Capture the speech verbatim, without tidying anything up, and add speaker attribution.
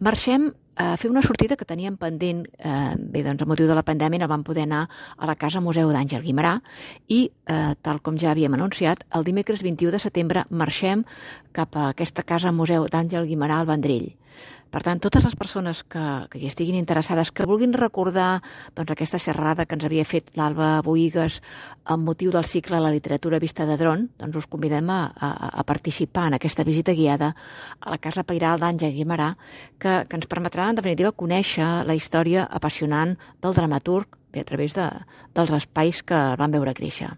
Speaker 1: marxem a fer una sortida que teníem pendent, eh, bé, doncs, a motiu de la pandèmia no vam poder anar a la Casa Museu d'Àngel Guimerà i, eh, tal com ja havíem anunciat, el dimecres vint-i-u de setembre marxem cap a aquesta Casa Museu d'Àngel Guimerà al Vendrell. Per tant, totes les persones que, que hi estiguin interessades, que vulguin recordar doncs, aquesta xerrada que ens havia fet l'Alba Boïgues amb motiu del cicle La literatura vista de dron, doncs us convidem a, a, a participar en aquesta visita guiada a la Casa Pairal d'Àngel Guimerà, que, que ens permetrà, en definitiva, conèixer la història apassionant del dramaturg bé, a través de, dels espais que el van veure créixer.